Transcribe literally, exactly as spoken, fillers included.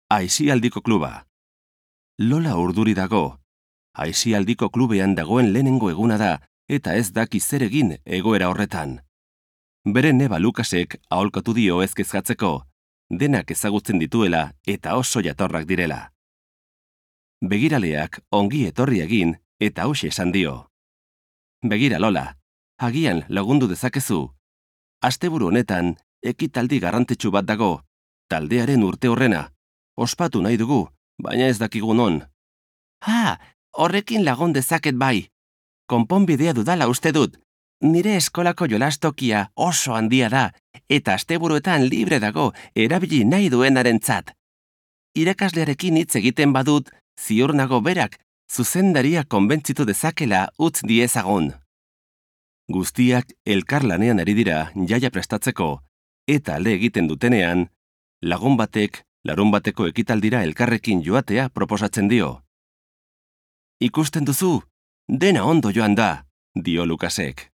Aisialdiko kluba. Lola urduri dago. Aisialdiko klubean dagoen lehenengo eguna da, eta ez daki zer egin egoera horretan. Bere neba Lukasek aholkatu dio ez kezkatzeko, denak ezagutzen dituela eta oso jatorrak direla. Begiraleak ongi etorri egin eta hauxe esan dio. Begira Lola, agian lagundu dezakezu. Asteburu honetan, ekitaldi garrantzitsu bat dago, taldearen urte horrena. Ospatu nahi dugu, baina ez dakigu non. Ha, horrekin lagun dezaket bai. Konponbidea dudala uste dut. Nire eskolako jolastokia oso handia da, eta asteburuetan libre dago erabili nahi duenarentzat. Irakaslearekin hitz egiten badut, ziur nago berak, zuzendaria konbentzitu dezakela utz diezagun. Guztiak elkarlanean ari dira jaia prestatzeko, eta alde egiten dutenean, lagun batek larun bateko ekitaldira elkarrekin joatea proposatzen dio. Ikusten duzu, dena ondo joan da, dio Lukasek.